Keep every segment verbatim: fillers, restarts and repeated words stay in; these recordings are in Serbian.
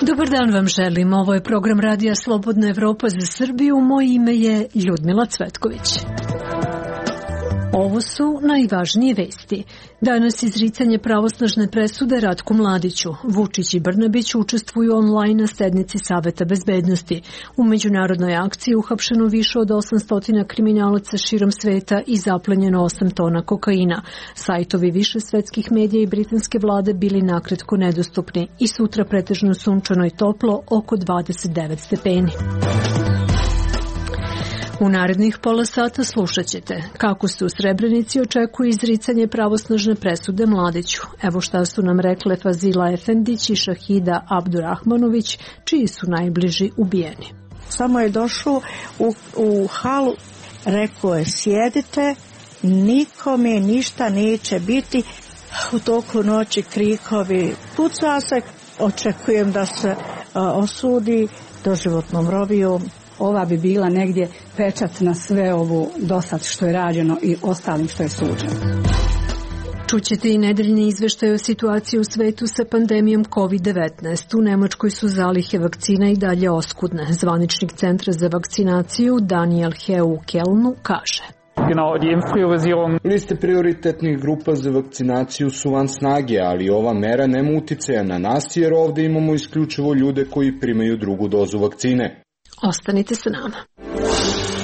Dobar dan vam želim. Ovo je program Radija Slobodna Evropa za Srbiju. Moje ime je Ljudmila Cvetković. Ovo su najvažnije vesti. Danas izricanje pravosnažne presude Ratku Mladiću. Vučić i Brnabić učestvuju online na sednici Saveta bezbednosti. U međunarodnoj akciji uhapšeno više od osamsto kriminalaca širom sveta i zaplenjeno osam tona kokaina. Sajtovi više svetskih medija i britanske vlade bili nakratko nedostupni i sutra pretežno sunčano i toplo, oko dvadeset devet stepeni. U narednih pola sata slušat ćete kako se u Srebrenici očekuje izricanje pravosnažne presude Mladiću. Evo šta su nam rekle Fazila Efendić i Šahida Abdurahmanović, čiji su najbliži ubijeni. Samo je došao u, u halu, rekao je sjedite, nikome ništa neće biti. U toku noći krikovi, puca se, očekujem da se a, osudi doživotnom robijom. Ova bi bila negdje pečat na sve ovo dosad što je rađeno i ostalim što je suđeno. Čućete i nedeljni izveštaj o situaciji u svetu sa pandemijom kovid devetnaest. U Nemačkoj su zalihe vakcina i dalje oskudne. Zvaničnik Centra za vakcinaciju Daniel Heu u Kelnu kaže. Liste prioritetnih grupa za vakcinaciju su van snage, ali ova mera nema uticaja na nas jer ovdje imamo isključivo ljude koji primaju drugu dozu vakcine. Ostanite sa nama.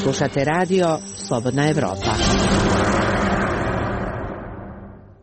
Slušate radio Slobodna Evropa.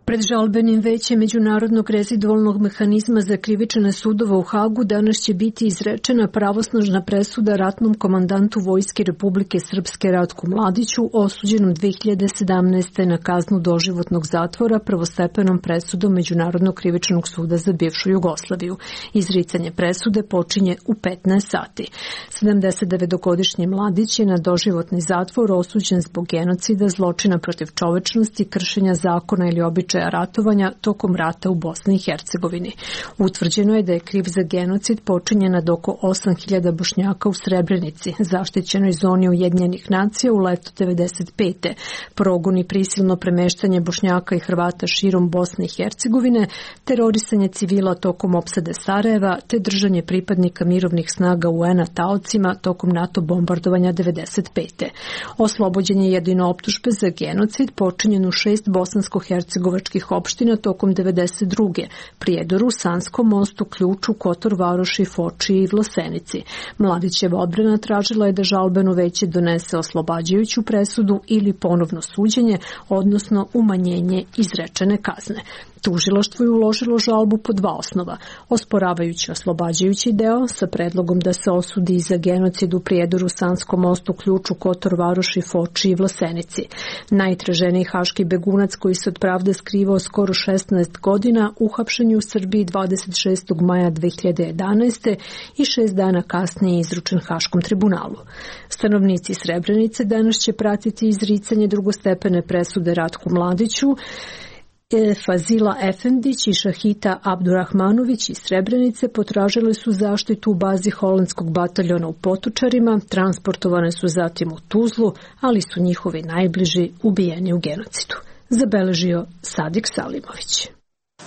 Pred žalbenim većem Međunarodnog rezidualnog mehanizma za krivične sudova u Hagu danas će biti izrečena pravosnažna presuda ratnom komandantu Vojske Republike Srpske Ratku Mladiću, osuđenom dve hiljade sedamnaeste. na kaznu doživotnog zatvora prvostepenom presudom Međunarodnog krivičnog suda za bivšu Jugoslaviju. Izricanje presude počinje u petnaest sati. sedamdesetdevetogodišnji Mladić je na doživotni zatvor osuđen zbog genocida, zločina protiv čovečnosti, kršenja zakona ili običaja ratovanja tokom rata u Bosni i Hercegovini. Utvrđeno je da je kriv za genocid počinjen nad oko osam hiljada Bošnjaka u Srebrenici, zaštićenoj zoni Ujedinjenih nacija u letu devedeset pete. Progon i prisilno premeštanje Bošnjaka i Hrvata širom Bosne i Hercegovine, terorisanje civila tokom opsade Sarajeva, te držanje pripadnika mirovnih snaga U N-a taocima tokom NATO bombardovanja devedeset pete. Oslobođen je jedino optužbe za genocid počinjen u šest bosansko-hercegovačkih opština tokom devedeset druge. Prijedoru, Sanskom mostu, Ključu, Kotor Varoši, Foči i Vlasenici. Mladićeva odbrana tražila je da žalbeno veće donese oslobađajuću presudu ili ponovno suđenje, odnosno umanjenje izrečene kazne. Tužilaštvo je uložilo žalbu po dva osnova, osporavajući oslobađajući deo sa predlogom da se osudi za genocid u Prijedoru, Sanskom mostu, Ključu, Kotor Varoši, Foči i Vlasenici. Najtraženiji haški begunac koji se od pravde skrivao skoro šesnaest godina, uhapšen je u Srbiji dvadeset šestog maja dve hiljade jedanaeste. i šest dana kasnije izručen Haškom tribunalu. Stanovnici Srebrenice danas će pratiti izricanje drugostepene presude Ratku Mladiću. Fazila Efendić i Šahita Abdurahmanović iz Srebrenice potražile su zaštitu u bazi holandskog bataljona u Potočarima, transportovane su zatim u Tuzlu, ali su njihovi najbliži ubijeni u genocidu. Zabeležio Sadik Salimović.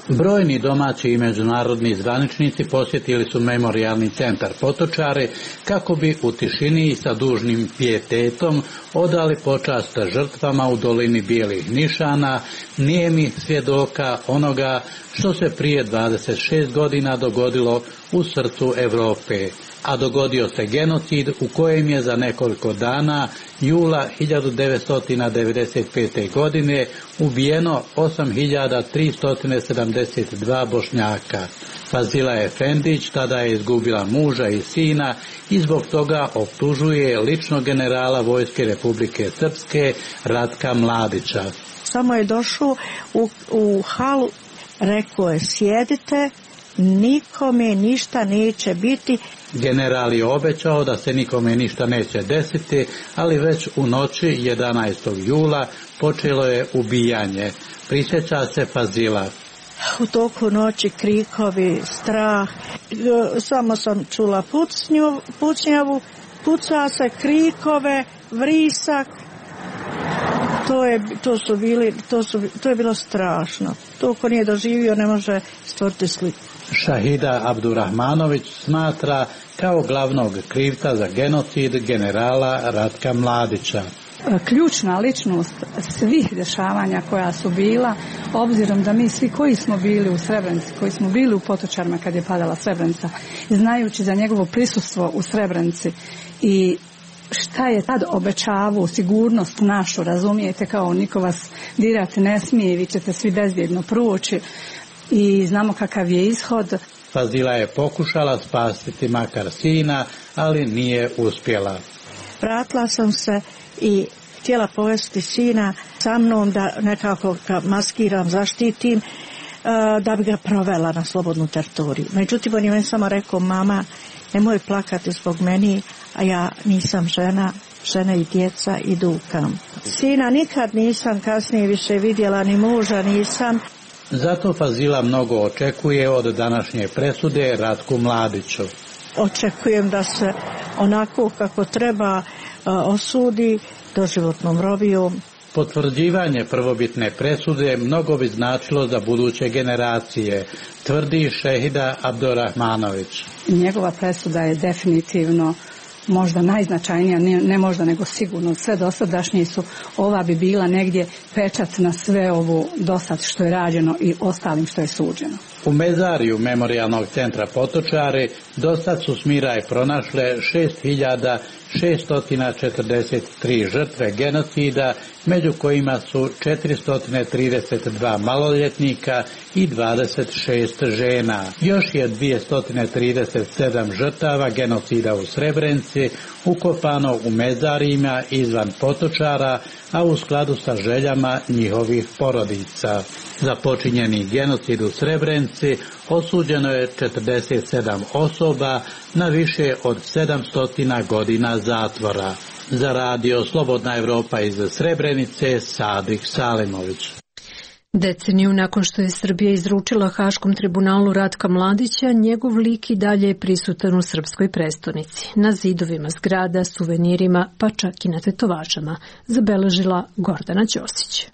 Brojni domaći i međunarodni zvaničnici posjetili su memorijalni centar Potočare kako bi u tišini i sa dužnim pijetetom odali počast žrtvama u dolini Bijelih nišana, nijemi svjedoka onoga što se prije dvadeset šest godina dogodilo u srcu Europe, a dogodio se genocid u kojem je za nekoliko dana jula hiljadu devetsto devedeset pete. godine ubijeno osam hiljada tristo sedamdeset dva Bošnjaka. Fazila Efendić tada je izgubila muža i sina i zbog toga optužuje lično generala Vojske Republike Srpske Ratka Mladića. Samo je došao u, u halu, rekao je sjedite, nikome ništa neće biti. General je obećao da se nikome ništa neće desiti, ali već u noći jedanaestog jula počelo je ubijanje. Prisjeća se Fazila. U toku noći krikovi, strah, samo sam čula pucnju, pucnjavu, puca se, krikove, vrisak. To je, to su bili, to, su, to je bilo strašno. To ko nije doživio ne može stvoriti sliku. Šahida Abdurahmanović smatra kao glavnog krivca za genocid generala Ratka Mladića. Ključna ličnost svih dešavanja koja su bila, obzirom da mi svi koji smo bili u Srebrenici, koji smo bili u Potočarima kad je padala Srebrenica, znajući za njegovo prisustvo u Srebrenici i šta je tad obećavao, sigurnost našu, razumijete, kao niko vas dirati ne smije, vi ćete svi bezbjedno proći i znamo kakav je ishod. Fazila je pokušala spasiti makar sina, ali nije uspjela. Vratila sam se i htjela povesti sina sa mnom da nekako ga maskiram, zaštitim, da bi ga provela na slobodnu teritoriju. Međutim, on je meni samo rekao, mama, nemoj plakati zbog meni, a ja nisam žena, žene i djeca idu u kamp. Sina nikad nisam kasnije više vidjela, ni muža nisam. Zato Fazila mnogo očekuje od današnje presude Ratku Mladiću. Očekujem da se onako kako treba osudi doživotnom robijom. Potvrđivanje prvobitne presude mnogo bi značilo za buduće generacije, tvrdi Šehida Abdurahmanović. Njegova presuda je definitivno možda najznačajnija, ne, ne možda nego sigurno. Sve dosadašnje su, ova bi bila negdje pečat na sve ovo dosad što je rađeno i ostalim što je suđeno. U mezariju Memorijalnog centra Potočari dosad su Smiraj pronašle šest hiljada šesto četrdeset tri žrtve genocida, među kojima su četiristo trideset dva maloljetnika i dvadeset šest žena. Još je dvjesto trideset sedam žrtava genocida u Srebrenici ukopano u mezarijima izvan Potočara, a u skladu sa željama njihovih porodica. Za počinjeni genocid u Srebrenici osuđeno je četrdeset sedam osoba na više od sedamsto godina zatvora. Za radio Slobodna Evropa iz Srebrenice, Sadik Salimović. Deceniju nakon što je Srbija izručila Haškom tribunalu Ratka Mladića, njegov lik i dalje je prisutan u srpskoj prestonici. Na zidovima zgrada, suvenirima, pa čak i na tetovažama, zabeležila Gordana Ćosić.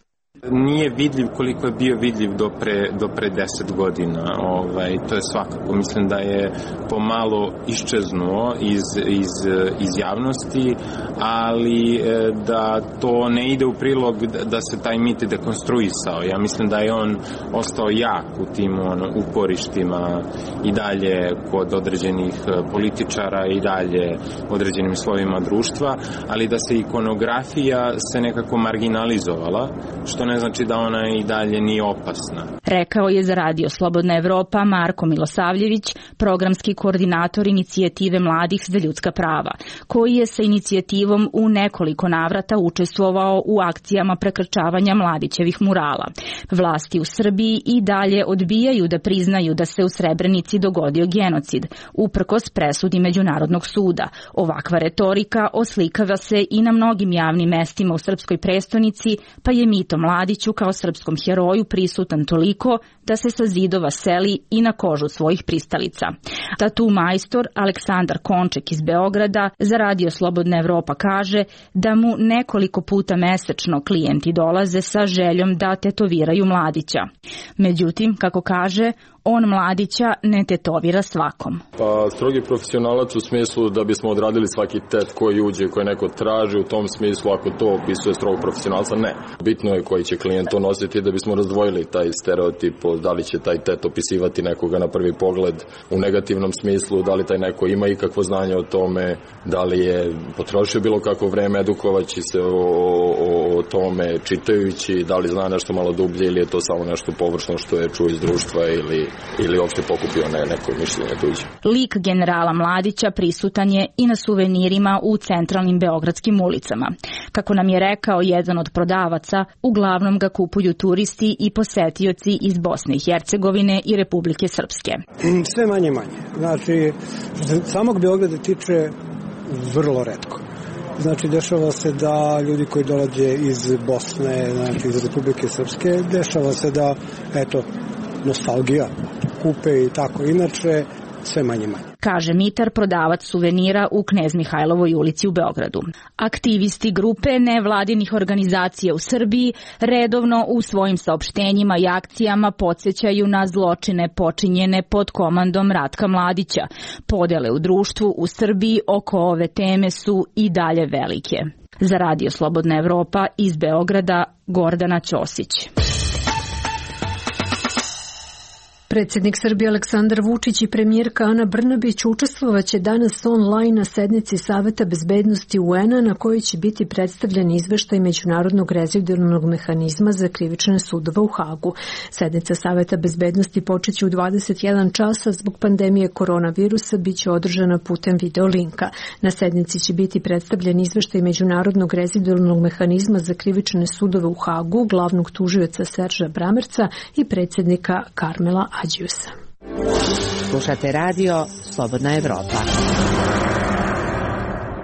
Nije vidljiv koliko je bio vidljiv do pre, do pre deset godina. Ovaj, to je svakako. Mislim da je pomalo iščeznuo iz, iz, iz javnosti, ali da to ne ide u prilog da se taj mit dekonstruisao. Ja mislim da je on ostao jak u tim on, uporištima i dalje kod određenih političara i dalje određenim slovima društva, ali da se ikonografija se nekako marginalizovala, što ne znači da ona i dalje nije opasna. Rekao je za radio Slobodna Evropa Marko Milosavljević, programski koordinator inicijative Mladih za ljudska prava, koji je sa inicijativom u nekoliko navrata učestvovao u akcijama prekrčavanja Mladićevih murala. Vlasti u Srbiji i dalje odbijaju da priznaju da se u Srebrenici dogodio genocid, uprkos presudi Međunarodnog suda. Ovakva retorika oslikava se i na mnogim javnim mestima u srpskoj prestonici, pa je Mito Mladiću kao srpskom heroju prisutan toliko da se sa zidova seli i na kožu svojih pristalica. Tatu majstor Aleksandar Konček iz Beograda za radio Slobodna Evropa kaže da mu nekoliko puta mesečno klijenti dolaze sa željom da tetoviraju Mladića. Međutim, kako kaže, on Mladića ne tetovira svakom. Pa strogi profesionalac u smislu da bismo odradili svaki tet koji uđe, koji neko traži, u tom smislu ako to opisuje strog profesionalca, ne. Bitno je koji će klijent to nositi da bismo razdvojili taj stereotip, da li će taj tet opisivati nekoga na prvi pogled u negativnom smislu, da li taj neko ima ikakvo znanje o tome, da li je potrošio bilo kako vreme edukovaći se o, o, o tome čitajući, da li zna nešto malo dublje ili je to samo nešto površno što je čuo iz društva ili ili uopšte pokupio ne, neko mišljenje tuđe. Lik generala Mladića prisutan je i na suvenirima u centralnim beogradskim ulicama. Kako nam je rekao jedan od prodavaca, uglavnom ga kupuju turisti i posetioci iz Bosne i Hercegovine i Republike Srpske. Sve manje manje. Znači, što se samog Beograda tiče, vrlo retko. Znači, dešava se da ljudi koji dolaze iz Bosne, znači iz Republike Srpske, dešava se da, eto, nostalgija, kupe i tako. Inače, sve manje manje. Kaže Mitar, prodavac suvenira u Knez Mihajlovoj ulici u Beogradu. Aktivisti grupe nevladinih organizacija u Srbiji redovno u svojim saopštenjima i akcijama podsjećaju na zločine počinjene pod komandom Ratka Mladića. Podele u društvu u Srbiji oko ove teme su i dalje velike. Za Radio Slobodna Evropa iz Beograda, Gordana Ćosić. Predsjednik Srbije Aleksandar Vučić i premijerka Ana Brnabić učestvovaće danas online na sednici Saveta bezbednosti U N-a na kojoj će biti predstavljen izveštaj Međunarodnog rezidualnog mehanizma za krivične sudove u Hagu. Sednica Saveta bezbednosti počeće u dvadeset jedan časa, zbog pandemije koronavirusa biće održana putem video linka. Na sednici će biti predstavljen izveštaj Međunarodnog rezidualnog mehanizma za krivične sudove u Hagu, glavnog tužioca Serža Bramerca i predsjednika Karmela Ađiusa. Slušate radio Slobodna Evropa.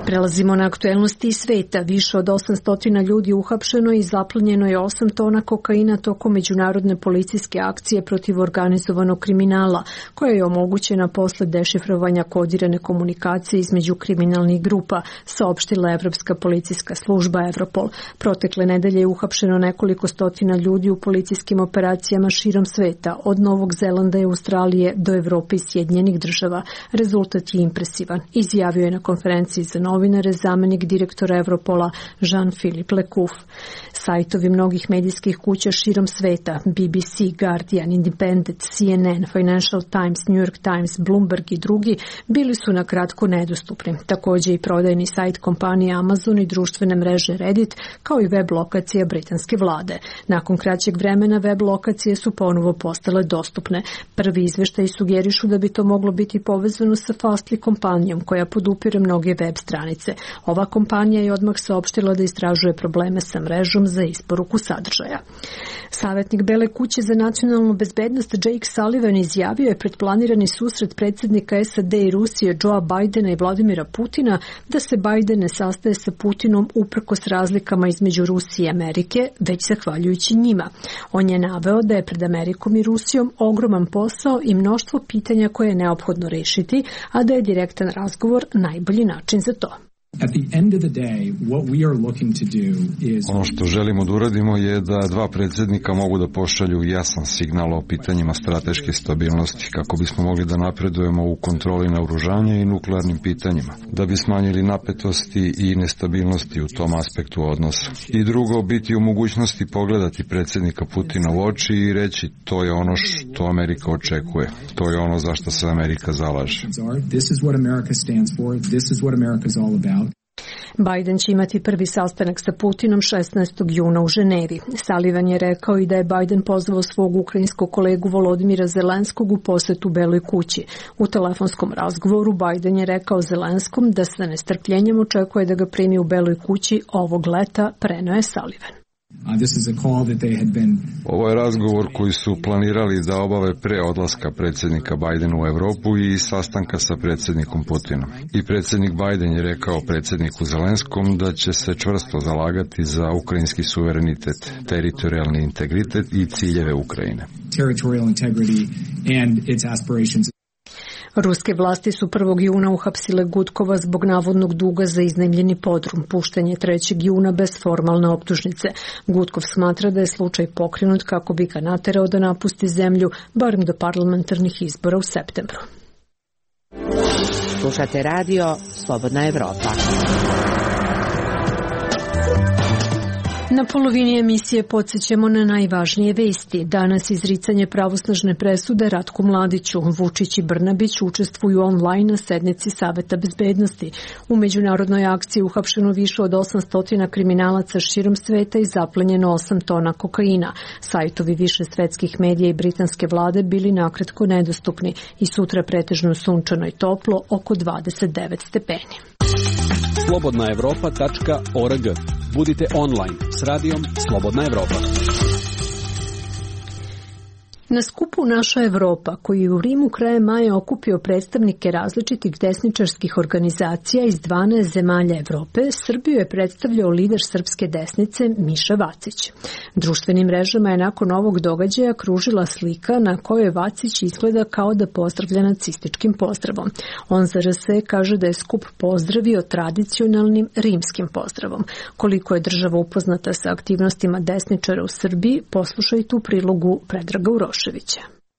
Prelazimo na aktuelnosti iz sveta. Više od osamsto ljudi uhapšeno i zaplenjeno je osam tona kokaina tokom međunarodne policijske akcije protiv organizovanog kriminala, koja je omogućena posle dešifrovanja kodirane komunikacije između kriminalnih grupa, saopštila Evropska policijska služba Europol. Protekle nedelje je uhapšeno nekoliko stotina ljudi u policijskim operacijama širom sveta, od Novog Zelanda i Australije do Evrope i Sjedinjenih država. Rezultat je impresivan, izjavio je na konferenciji za novinare novinare zamenik direktora Europola Jean-Philippe Lecouf. Sajtovi mnogih medijskih kuća širom sveta, B B C, Guardian, Independent, C N N, Financial Times, New York Times, Bloomberg i drugi bili su na kratko nedostupni. Također i prodajni sajt kompanije Amazon i društvene mreže Reddit, kao i web lokacija britanske vlade. Nakon kraćeg vremena web lokacije su ponovo postale dostupne. Prvi izveštaji sugerišu da bi to moglo biti povezano sa Fastly kompanijom koja podupire mnoge web stranice. Ova kompanija je odmah saopštila da istražuje probleme sa mrežom za isporuku sadržaja. Savjetnik Bele kuće za nacionalnu bezbednost Jake Sullivan izjavio je pred planirani susret predsjednika S A D i Rusije Joea Bidena i Vladimira Putina da se Biden ne sastaje sa Putinom uprkos razlikama između Rusije i Amerike, već zahvaljujući njima. On je naveo da je pred Amerikom i Rusijom ogroman posao i mnoštvo pitanja koje je neophodno rešiti, a da je direktan razgovor najbolji način za to. Ono što želimo da uradimo je da dva predsjednika mogu da pošalju jasan signal o pitanjima strateške stabilnosti kako bismo mogli da napredujemo u kontroli naoružanja i nuklearnim pitanjima, da bi smanjili napetosti i nestabilnosti u tom aspektu odnosa. I drugo, biti u mogućnosti pogledati predsjednika Putina u oči i reći to je ono što Amerika očekuje, to je ono za što se Amerika zalaže. Biden će imati prvi sastanak sa Putinom šesnaestog juna u Ženevi. Sullivan je rekao i da je Biden pozvao svog ukrajinskog kolegu Volodimira Zelenskog u posetu Beloj kući. U telefonskom razgovoru Biden je rekao Zelenskom da sa nestrpljenjem očekuje da ga primi u Beloj kući ovog leta, preneo je Sullivan. Ovo je razgovor koji su planirali da obave pre odlaska predsjednika Bidena u Evropu i sastanka sa predsjednikom Putinom. I predsjednik Biden je rekao predsjedniku Zelenskom da će se čvrsto zalagati za ukrajinski suverenitet, teritorijalni integritet i ciljeve Ukrajine. Ruske vlasti su prvog juna uhapsile Gudkova zbog navodnog duga za iznajmljeni podrum. Pušten je trećeg juna bez formalne optužnice. Gudkov smatra da je slučaj pokrenut kako bi ga naterao da napusti zemlju, barem do parlamentarnih izbora u septembru. Slušate radio Slobodna Evropa. Na polovini emisije podsjećamo na najvažnije vesti. Danas izricanje pravosnažne presude Ratku Mladiću. Vučić i Brnabić učestvuju online na sednici Saveta bezbednosti. U međunarodnoj akciji uhapšeno više od osamsto kriminalaca širom sveta i zaplenjeno osam tona kokaina. Sajtovi više svetskih medija i britanske vlade bili nakratko nedostupni i sutra pretežno sunčano i toplo, oko dvadeset devet stepeni. slobodna evropa tačka org. Budite online s radijom Slobodna Evropa. Na skupu Naša Evropa, koji je u Rimu krajem maja okupio predstavnike različitih desničarskih organizacija iz dvanaest zemalja Evrope, Srbiju je predstavljao lider srpske desnice Miša Vacić. Društvenim mrežama je nakon ovog događaja kružila slika na kojoj Vacić izgleda kao da pozdravlja nacističkim pozdravom. On za R S kaže da je skup pozdravio tradicionalnim rimskim pozdravom. Koliko je država upoznata sa aktivnostima desničara u Srbiji, poslušajte u prilogu Predraga Uroševića.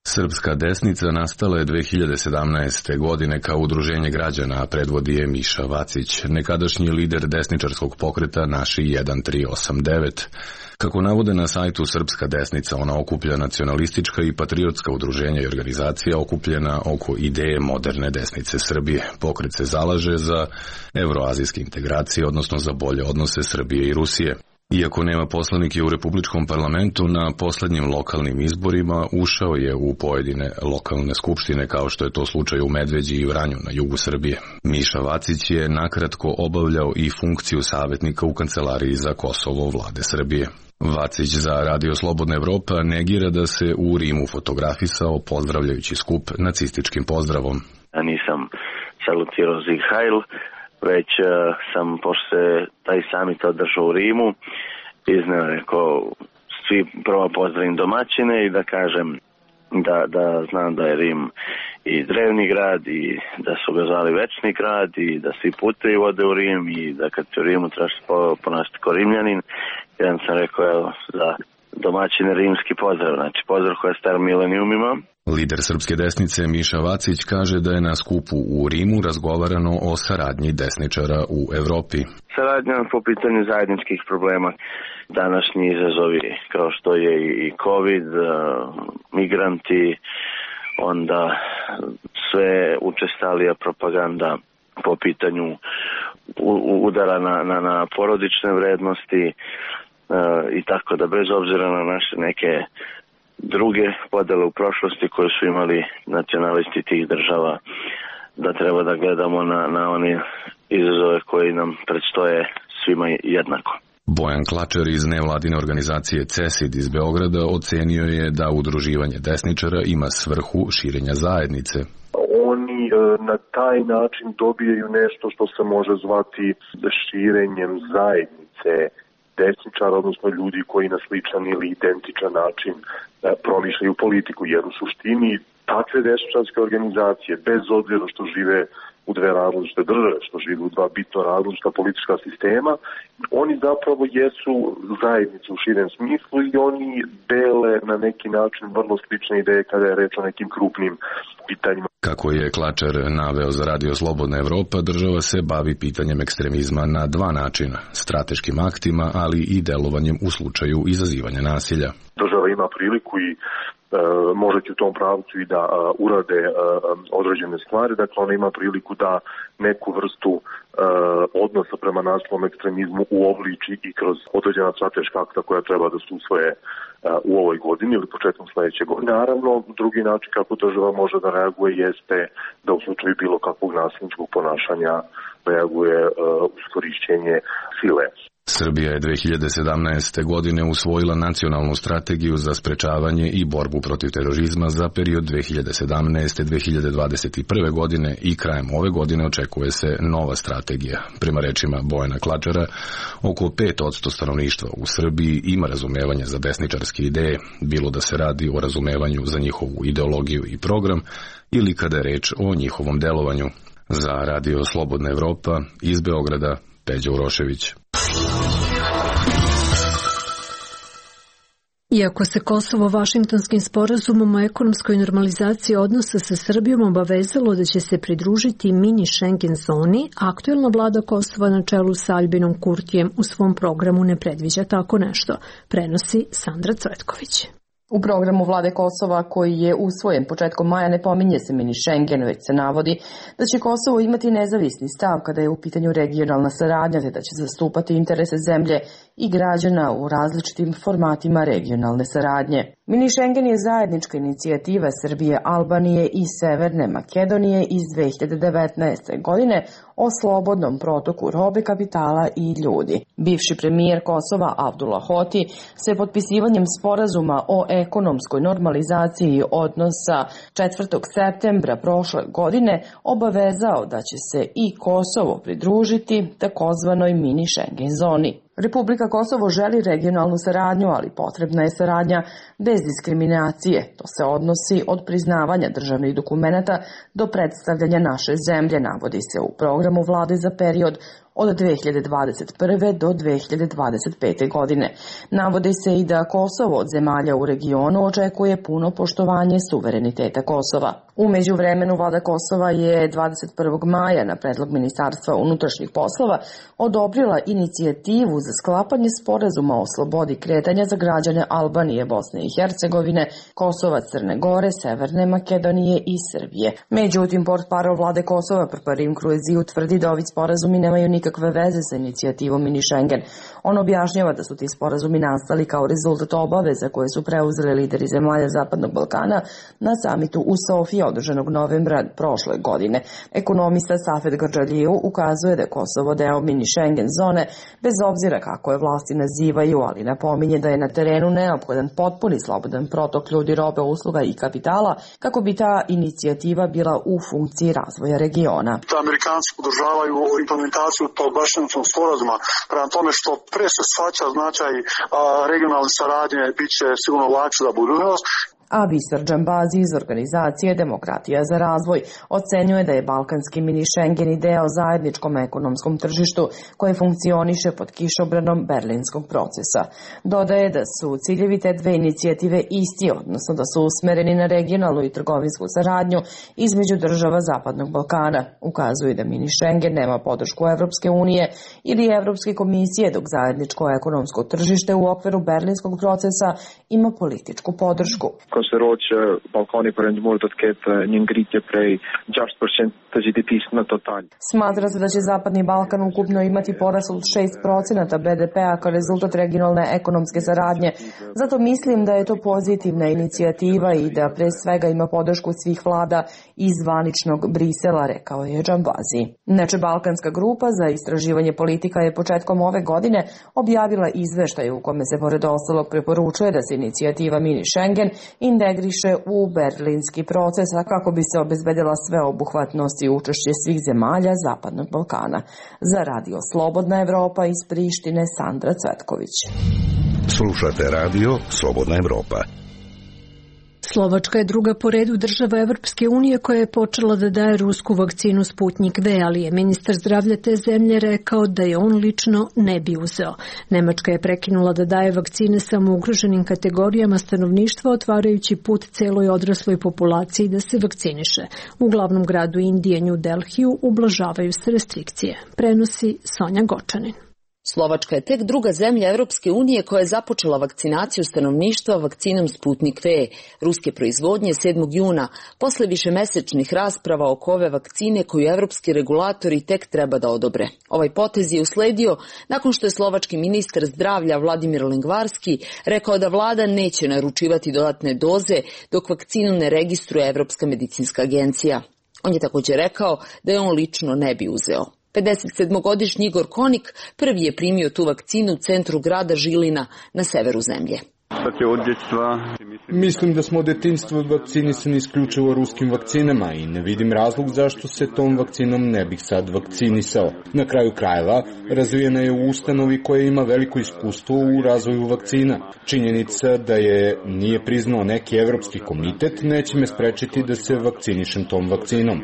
Srpska desnica nastala je dve hiljade sedamnaeste. godine kao udruženje građana, a predvodi je Miša Vacić, nekadašnji lider desničarskog pokreta Naši jedan tri osam devet. Kako navode na sajtu Srpska desnica, ona okuplja nacionalistička i patriotska udruženja i organizacija okupljena oko ideje moderne desnice Srbije. Pokret se zalaže za evroazijske integracije, odnosno za bolje odnose Srbije i Rusije. Iako nema poslanike u Republičkom parlamentu, na poslednjim lokalnim izborima ušao je u pojedine lokalne skupštine, kao što je to slučaj u Medveđi i Vranju na jugu Srbije. Miša Vacić je nakratko obavljao i funkciju savjetnika u kancelariji za Kosovo vlade Srbije. Vacić za Radio Slobodna Evropa negira da se u Rimu fotografisao pozdravljajući skup nacističkim pozdravom. Ja nisam salutirao Sieg Heil, već uh, sam, pošto se taj summit održao u Rimu, izneo rekao svi prvo pozdravim domaćine i da kažem da, da znam da je Rim i drevni grad i da su ga zvali večni grad i da svi putevi vode u Rim i da kad se u Rimu trebaš ponašati ko Rimljanin. Jedan sam rekao evo za domaćine rimski pozdrav, znači pozdrav koja je star milenijumima. Lider srpske desnice Miša Vacić kaže da je na skupu u Rimu razgovarano o saradnji desničara u Evropi. Saradnja po pitanju zajedničkih problema, današnji izazovi kao što je i COVID, migranti, onda sve učestalija propaganda po pitanju udara na, na, na porodične vrednosti i tako da bez obzira na naše neke druge podele u prošlosti koje su imali nacionalisti tih država, da treba da gledamo na, na one izazove koji nam predstoje svima jednako. Bojan Klačar iz nevladine organizacije CESID iz Beograda ocenio je da udruživanje desničara ima svrhu širenja zajednice. Oni na taj način dobijaju nešto što se može zvati širenjem zajednice desničara, odnosno ljudi koji na sličan ili identičan način promišljaju politiku, jer u suštini takve desničarske organizacije, bez obzira što žive u dve različite države, što žive u dva bitno različita politička sistema, oni zapravo jesu zajednice u širem smislu i oni dele na neki način vrlo slične ideje kada je reč o nekim krupnim pitanjima. Kako je Klačar naveo za Radio Slobodna Evropa, država se bavi pitanjem ekstremizma na dva načina, strateškim aktima, ali i delovanjem u slučaju izazivanja nasilja. Država ima priliku i Uh, može u tom pravcu i da uh, urade uh, određene stvari, dakle ona ima priliku da neku vrstu uh, odnosa prema nasilnom ekstremizmu uobliči i kroz određena strateška akta koja treba da se usvoje uh, u ovoj godini ili početkom sledeće godine. Naravno, drugi način kako država može da reaguje jeste da u slučaju bilo kakvog nasilničkog ponašanja reaguje uh, uz korišćenje sile. Srbija je dve hiljade sedamnaeste. godine usvojila nacionalnu strategiju za sprečavanje i borbu protiv terorizma za period dve hiljade sedamnaeste. do dve hiljade dvadeset prve. godine i krajem ove godine očekuje se nova strategija. Prema rečima Bojana Klačara, oko pet posto stanovništva u Srbiji ima razumevanje za desničarske ideje, bilo da se radi o razumevanju za njihovu ideologiju i program ili kada je reč o njihovom delovanju. Za Radio Slobodna Evropa iz Beograda, Peđa Urošević. Iako se Kosovo Vašingtonskim sporazumom o ekonomskoj normalizaciji odnosa sa Srbijom obavezalo da će se pridružiti mini Schengen zoni, aktuelna vlada Kosova na čelu sa Albinom Kurtijem u svom programu ne predviđa tako nešto, prenosi Sandra Cvetković. U programu vlade Kosova, koji je usvojen početkom maja, ne pominje se mini Schengen, već se navodi da će Kosovo imati nezavisni stav kada je u pitanju regionalna saradnja, te da će zastupati interese zemlje i građana u različitim formatima regionalne saradnje. Mini Schengen je zajednička inicijativa Srbije, Albanije i Severne Makedonije iz dve hiljade devetnaeste. godine o slobodnom protoku robe, kapitala i ljudi. Bivši premijer Kosova Abdullah Hoti se potpisivanjem sporazuma o ekonomskoj normalizaciji odnosa četvrtog septembra prošle godine obavezao da će se i Kosovo pridružiti takozvanoj mini Schengen zoni. Republika Kosovo želi regionalnu saradnju, ali potrebna je saradnja bez diskriminacije. To se odnosi od priznavanja državnih dokumenata do predstavljanja naše zemlje, navodi se u programu vlade za period od dve hiljade dvadeset prve. do dve hiljade dvadeset pete. godine. Navodi se i da Kosovo od zemalja u regionu očekuje puno poštovanje suvereniteta Kosova. U međuvremenu vlada Kosova je dvadeset prvog maja na predlog Ministarstva unutrašnjih poslova odobrila inicijativu za sklapanje sporazuma o slobodi kretanja za građane Albanije, Bosne i Hercegovine, Kosova, Crne Gore, Severne Makedonije i Srbije. Međutim, portparol vlade Kosova Prparim Kruezi utvrdi da ovi sporazumi nemaju nikakve veze sa inicijativom Mini Schengen. On objašnjava da su ti sporazumi nastali kao rezultat obaveza koje su preuzeli lideri zemalja Zapadnog Balkana na samitu u Sofiji održanog novembra prošle godine. Ekonomista Safet Grdžaliju ukazuje da je Kosovo deo Mini Schengen zone bez obzira kako je vlasti nazivaju, ali napominje da je na terenu neophodan potpuni slobodan protok ljudi, robe, usluga i kapitala kako bi ta inicijativa bila u funkciji razvoja regiona. Da Amerikanci podržavaju implementaciju tog Bašćanskog sporazuma, prema tome što pre se shvaća značaj a, regionalne saradnje, bit će sigurno lakše za budućnost. A Visar Džambazi iz organizacije Demokratija za razvoj ocenjuje da je balkanski mini Schengen deo zajedničkom ekonomskom tržištu koje funkcioniše pod kišobranom berlinskog procesa. Dodaje da su ciljevi te dve inicijative isti, odnosno da su usmereni na regionalnu i trgovinsku saradnju između država Zapadnog Balkana. Ukazuje da mini Schengen nema podršku Evropske unije ili Evropske komisije, dok zajedničko ekonomsko tržište u okviru berlinskog procesa ima političku podršku. Konsideroče Balkani përëndimor do të ketë një ngritje prej šest posto të G D P-s në total. Smatra se da će Zapadni Balkan ukupno imati porast od šest procenata B D P-a kao rezultat regionalne ekonomske saradnje. Zato mislim da je to pozitivna inicijativa i da pre svega ima podršku svih vlada iz zvaničnog Brisela, rekao je Džambazi. Inače, Balkanska grupa za istraživanje politika je početkom ove godine objavila izveštaj u kome se pored ostalog preporučuje da se inicijativa Mini Schengen integriše u berlinski proces, a kako bi se obezbedila sveobuhvatnost i učešće svih zemalja Zapadnog Balkana. Za Radio Slobodna Evropa iz Prištine, Sandra Cvetković. Slušate radio Slobodna Evropa. Slovačka je druga po redu država Evropske unije koja je počela da daje rusku vakcinu Sputnik V, ali je ministar zdravlja te zemlje rekao da je on lično ne bi uzeo. Nemačka je prekinula da daje vakcine samo ugroženim kategorijama stanovništva, otvarajući put celoj odrasloj populaciji da se vakciniše. U glavnom gradu Indije, New Delhiju, ublažavaju se restrikcije. Prenosi Sonja Gočanin. Slovačka je tek druga zemlja Evropske unije koja je započela vakcinaciju stanovništva vakcinom Sputnik V, ruske proizvodnje sedmog juna, posle višemesečnih rasprava oko ove vakcine koju evropski regulatori tek treba da odobre. Ovaj potez je usledio nakon što je slovački ministar zdravlja Vladimir Lengvarski rekao da vlada neće naručivati dodatne doze dok vakcinu ne registruje Evropska medicinska agencija. On je također rekao da je on lično ne bi uzeo. pedesetsedmogodišnji Igor Konik prvi je primio tu vakcinu u centru grada Žilina na severu zemlje. Mislim da smo od detinjstva vakcinisani isključivo ruskim vakcinama i ne vidim razlog zašto se tom vakcinom ne bih sad vakcinisao. Na kraju krajeva razvijena je u ustanovi koja ima veliko iskustvo u razvoju vakcina. Činjenica da je nije priznao neki evropski komitet neće me sprečiti da se vakcinišem tom vakcinom.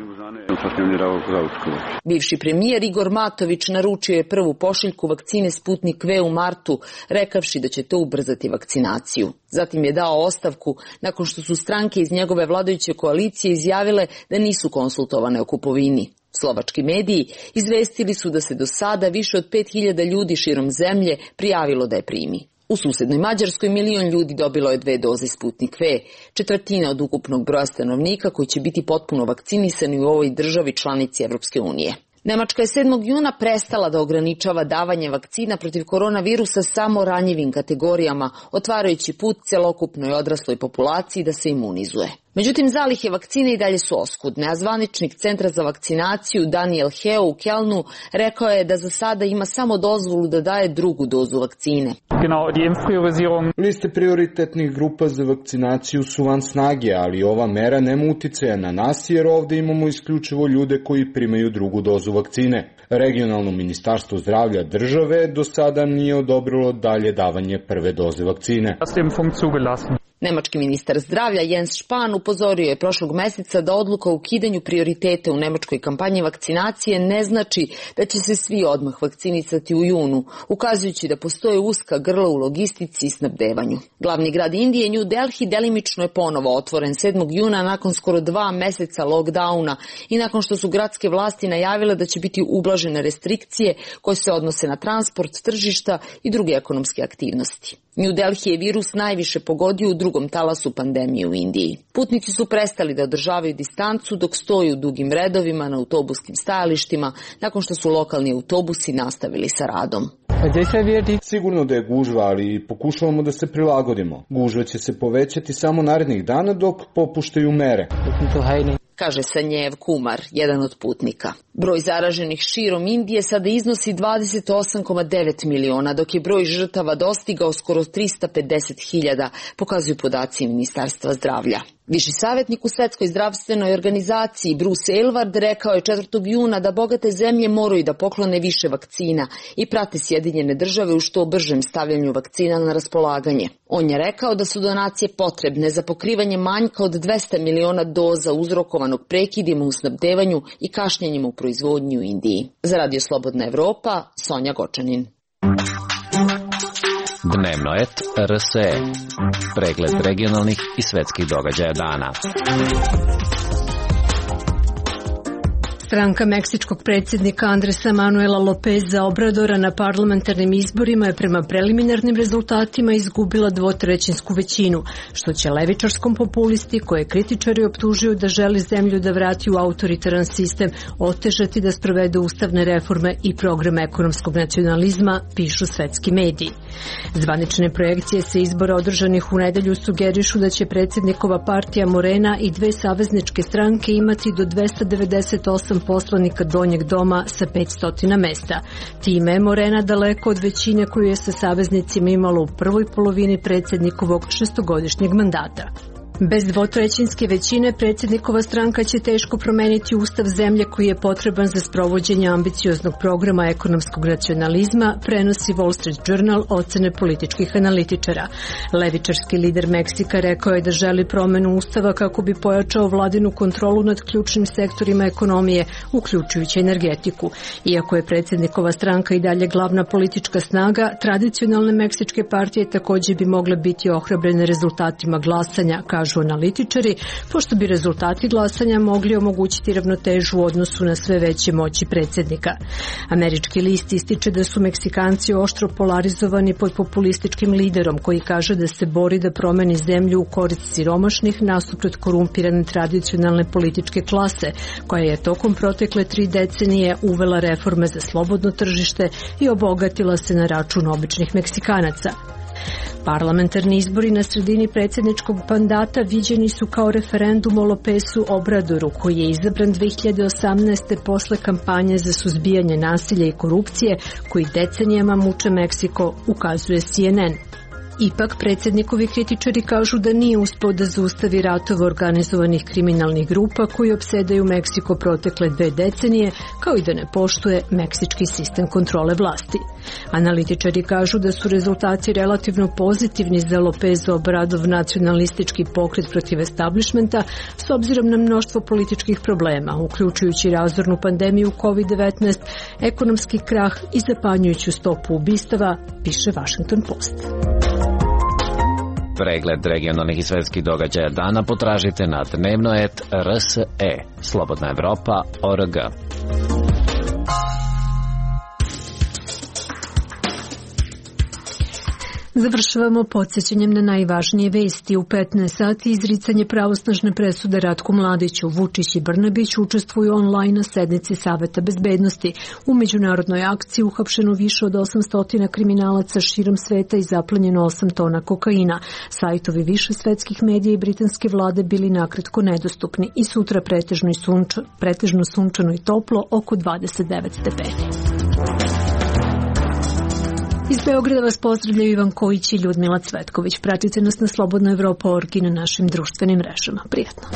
Bivši premijer Igor Matović naručio je prvu pošiljku vakcine Sputnik V u martu, rekavši da će to ubrzati vakcinaciju. Zatim je dao ostavku nakon što su stranke iz njegove vladajuće koalicije izjavile da nisu konsultovane o kupovini. Slovački mediji izvestili su da se do sada više od pet hiljada ljudi širom zemlje prijavilo da je primi. U susednoj Mađarskoj milion ljudi dobilo je dve doze Sputnik V, četvrtina od ukupnog broja stanovnika koji će biti potpuno vakcinisani u ovoj državi članici Evropske unije. Nemačka je sedmog juna prestala da ograničava davanje vakcina protiv koronavirusa samo ranjivim kategorijama, otvarajući put celokupnoj odrasloj populaciji da se imunizuje. Međutim, zalihe vakcine i dalje su oskudne, a zvaničnik Centra za vakcinaciju Daniel Heo u Kelnu rekao je da za sada ima samo dozvolu da daje drugu dozu vakcine. Liste prioritetnih grupa za vakcinaciju su van snage, ali ova mera nema uticaja na nas jer ovde imamo isključivo ljude koji primaju drugu dozu vakcine. Regionalno ministarstvo zdravlja države do sada nije odobrilo dalje davanje prve doze vakcine. Nemački ministar zdravlja Jens Spahn upozorio je prošlog meseca da odluka o ukidanju prioritete u nemačkoj kampanji vakcinacije ne znači da će se svi odmah vakcinisati u junu, ukazujući da postoje uska grla u logistici i snabdevanju. Glavni grad Indije, New Delhi, delimično je ponovo otvoren sedmog juna nakon skoro dva meseca lockdowna i nakon što su gradske vlasti najavile da će biti ublažene restrikcije koje se odnose na transport, tržišta i druge ekonomske aktivnosti. New Delhi je virus najviše pogodio u drugom talasu pandemije u Indiji. Putnici su prestali da održavaju distancu dok stoju u dugim redovima na autobuskim stajalištima nakon što su lokalni autobusi nastavili sa radom. Sigurno da je gužva, ali pokušavamo da se prilagodimo. Gužva će se povećati samo narednih dana dok popuštaju mere, kaže Sanjev Kumar, jedan od putnika. Broj zaraženih širom Indije sada iznosi dvadeset osam zarez devet miliona, dok je broj žrtava dostigao skoro trista pedeset hiljada, pokazuju podaci Ministarstva zdravlja. Viši savjetnik u Svetskoj zdravstvenoj organizaciji Bruce Aylward rekao je četvrtog juna da bogate zemlje moraju da poklone više vakcina i prate Sjedinjene države u što bržem stavljanju vakcina na raspolaganje. On je rekao da su donacije potrebne za pokrivanje manjka od dvesta miliona doza uzrokovanog prekidima u snabdevanju i kašnjenjima u proizvodnji u Indiji. Za Radio Slobodna Evropa, Sonja Gočanin. Dnevno et R S E. Pregled regionalnih i svetskih događaja dana. Stranka meksičkog predsjednika Andresa Manuela Lopeza Obradora na parlamentarnim izborima je prema preliminarnim rezultatima izgubila dvotrećinsku većinu, što će levičarskom populisti, koje kritičari optužuju da želi zemlju da vrati u autoritaran sistem, otežati da sprovede ustavne reforme i program ekonomskog nacionalizma, pišu svetski mediji. Zvanične projekcije sa izbora održanih u nedelju sugerišu da će predsjednikova partija Morena i dve savezničke stranke imati do dvesta devedeset osam poslanika donjeg doma sa petsto mesta. Time je Morena daleko od većine koju je sa saveznicima imalo u prvoj polovini predsjednikovog šestogodišnjeg mandata. Bez dvotrećinske većine predsjednikova stranka će teško promeniti ustav zemlje koji je potreban za sprovođenje ambicioznog programa ekonomskog nacionalizma, prenosi Wall Street Journal ocene političkih analitičara. Levičarski lider Meksika rekao je da želi promenu ustava kako bi pojačao vladinu kontrolu nad ključnim sektorima ekonomije, uključujući energetiku. Iako je predsjednikova stranka i dalje glavna politička snaga, tradicionalne meksičke partije također bi mogle biti ohrabrene rezultatima glasanja, kažu analitičari, pošto bi rezultati glasanja mogli omogućiti ravnotežu u odnosu na sve veće moći predsjednika. Američki list ističe da su Meksikanci oštro polarizovani pod populističkim liderom koji kaže da se bori da promeni zemlju u korist siromašnih nasuprot korumpirane tradicionalne političke klase, koja je tokom protekle tri decenije uvela reforme za slobodno tržište i obogatila se na račun običnih Meksikanaca. Parlamentarni izbori na sredini predsjedničkog mandata viđeni su kao referendum o Lopezu Obradoru, koji je izabran dve hiljade osamnaeste. posle kampanje za suzbijanje nasilja i korupcije koji decenijama muče Meksiko, ukazuje C N N. Ipak, predsjednikovi kritičari kažu da nije uspeo da zaustavi ratove organizovanih kriminalnih grupa koji opsedaju Meksiko protekle dve decenije, kao i da ne poštuje meksički sistem kontrole vlasti. Analitičari kažu da su rezultati relativno pozitivni za Lopez Obradov nacionalistički pokret protiv establishmenta s obzirom na mnoštvo političkih problema, uključujući razornu pandemiju kovid devetnaest, ekonomski krah i zapanjujuću stopu ubistava, piše Washington Post. Pregled regionalnih i svetskih događaja dana potražite na dnevno et R S E, Slobodna Evropa, O R G. Završavamo podsjećanjem na najvažnije vesti. U petnaest sati izricanje pravosnažne presude Ratku Mladiću. Vučić i Brnabić učestvuju online na sednici Saveta bezbednosti. U međunarodnoj akciji uhapšeno više od osamsto kriminalaca širom sveta i zaplenjeno osam tona kokaina. Sajtovi više svetskih medija i britanske vlade bili nakratko nedostupni i sutra pretežno, i sunča, pretežno sunčano i toplo, oko dvadeset devet stepeni. Iz Beograda vas pozdravljaju Ivan Kojić i Ljudmila Cvetković. Pratite nas na Slobodna Evropa org i na našim društvenim mrežama. Prijatno.